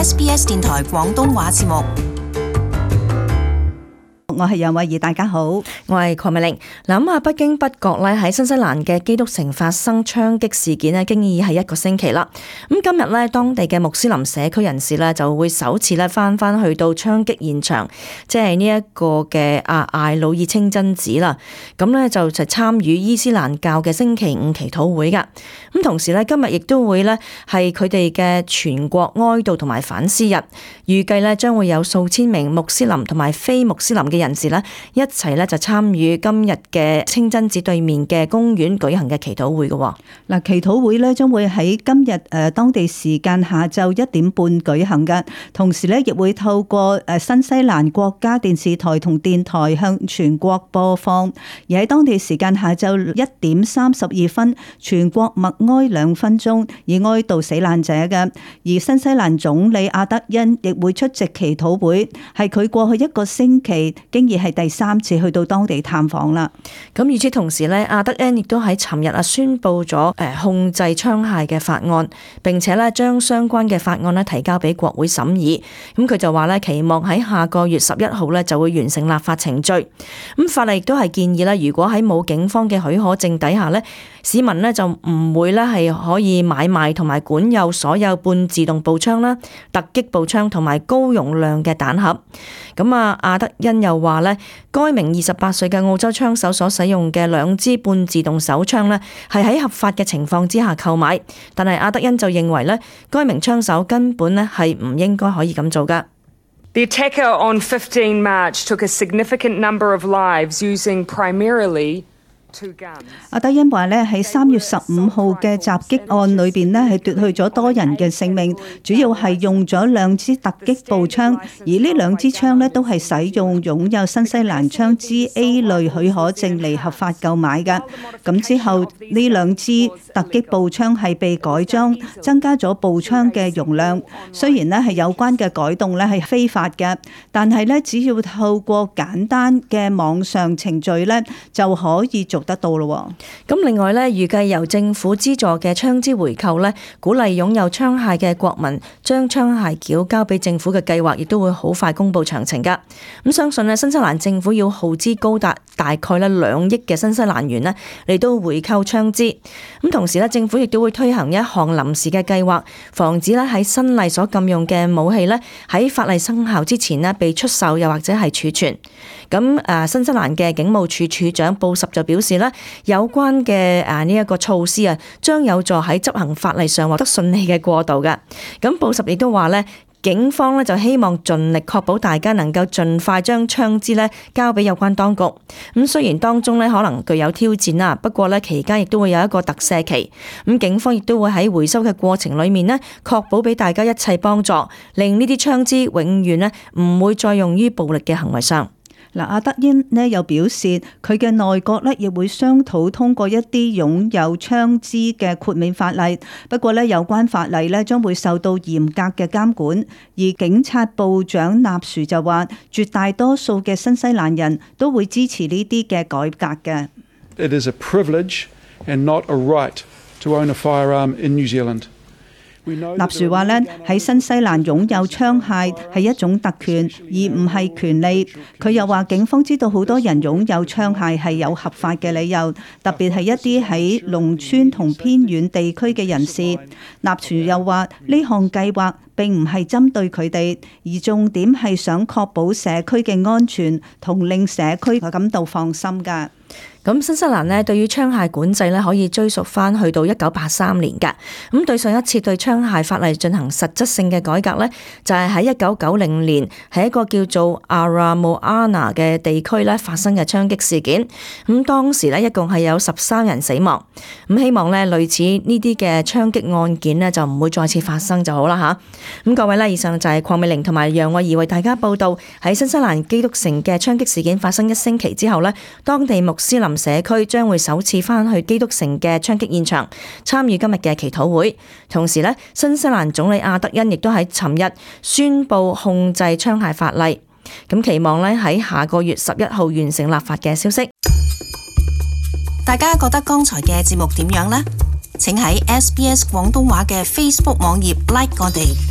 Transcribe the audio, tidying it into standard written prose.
SBS 電台廣東話節目。我係楊慧儀，大家好，我係鄺美玲。嗱，北京北角咧喺新西蘭嘅基督城發生槍擊事件咧，經已係1個星期啦。咁今日咧，當地嘅穆斯林社區人士咧就會首次咧翻去到槍擊現場，即係呢一個嘅艾魯爾清真寺啦。咁咧就參與伊斯蘭教嘅星期五祈禱會噶。咁同時咧，今日亦都會咧係佢哋嘅全國哀悼同埋反思日，預計咧將會有數千名穆斯林同埋非穆斯林嘅人士咧一齊咧就參與今日嘅清真寺對面嘅公園舉行嘅祈禱會嘅。嗱，祈禱會咧將會喺今日當地時間下晝1點半舉行嘅，同時咧亦會透過新西蘭國家電視台同電台向全國播放。而喺當地時間下晝1點32分，全國默哀2分鐘，以哀悼死難者嘅。而新西蘭總理阿德恩亦會出席祈禱會，係佢過去1個星期經已係第3次去到當地探訪啦。咁與此同時咧，阿德恩亦都喺尋日宣布咗控制槍械嘅法案，並且咧將相關嘅法案咧提交俾國會審議。咁佢就話咧期望喺下個月11號咧就會完成立法程序。咁法例亦都係建議咧，如果喺冇警方嘅許可證底下咧，市民咧就唔會咧係可以買賣同埋管有所有半自動步槍啦、突擊步槍同埋高容量嘅彈盒。咁阿德恩又話咧，該名28歲嘅澳洲槍手所使用嘅2支半自動手槍咧，係喺合法嘅情況之下購買，但係阿德恩就認為咧，該名槍手根本咧係唔應該可以咁做噶。The attacker on 15 March took a significant number of lives using primarily阿德恩話咧喺3月15號嘅襲擊案裏邊咧係奪去咗多人嘅性命，主要係用咗2支突擊步槍，而呢2支槍咧都係使用擁有新西蘭槍支 A 類許可證嚟合法購買嘅。咁之後呢2支突擊步槍係被改裝，增加咗步槍嘅容量。雖然咧係有關嘅改動咧係非法嘅，但係咧只要透過簡單嘅網上程序咧就可以做得到咯。咁另外咧，預計由政府資助嘅槍支回購咧，鼓勵擁有槍械嘅國民將槍械繳交俾政府嘅計劃，亦都會好快公布詳情噶。咁相信咧，新西蘭政府要耗資高達大概咧2億嘅新西蘭元咧嚟到回購槍支。咁同時咧，政府亦都會推行一項臨時嘅計劃，防止咧喺新例所禁用嘅武器咧喺法例生效之前咧被出售又或者係儲存。咁新西蘭嘅警務處處長布什就表示咧，有關嘅呢一個措施將有助喺執行法例上獲得順利嘅過渡嘅。咁布什亦都話咧，警方咧就希望盡力確保大家能夠盡快將槍支咧交俾有關當局。咁雖然當中咧可能具有挑戰啦，不過咧期間亦都會有一個特赦期。咁警方亦都會喺回收嘅過程裏面咧，確保俾大家一切幫助，令呢啲槍支永遠咧唔會再用於暴力嘅行為上。嗱，阿德恩呢又表示，佢嘅內閣呢亦會商討通過一啲擁有槍支嘅豁免法例。不過呢，有關法例呢將會受到嚴格嘅監管。而警察部長納殊就話，絕大多數嘅新西蘭人都會支持呢啲嘅改革嘅。It is a privilege and not a right to own a firearm in New Zealand. 納殊話咧，喺新西蘭擁有槍械係一種特權，而唔係權利。佢又話警方知道好多人擁有槍械係有合法嘅理由，特別係一啲喺農村同偏遠地區嘅人士。納殊又話呢項計劃並唔係針對佢哋，而重點係想確保社區嘅安全同令社區感到放心㗎。咁新西蘭呢對於槍械管制呢可以追溯翻去到1983年㗎。咁對上一次對槍械法例進行實質性嘅改革呢，就係喺1990年喺一個叫做 Aramoana 嘅地區呢發生嘅槍擊事件。咁當時呢一共係有13人死亡。咁希望呢類似呢啲嘅槍擊案件呢就唔會再次發生就好啦吓。咁各位呢，以上就係鄺美玲同埋楊慧儀為大家報道喺新西蘭基督城嘅槍擊事件發生1星期之後呢，當地穆斯林社區將會首次翻去基督城嘅槍擊現場參與今日嘅祈禱會。同時呢，新西蘭總理阿德恩亦都喺尋日宣布控制槍械法例，咁期望呢喺下個月11號完成立法嘅消息。大家覺得剛才嘅節目點樣呢？請喺SBS 廣東話嘅 Facebook 網頁 like 我哋。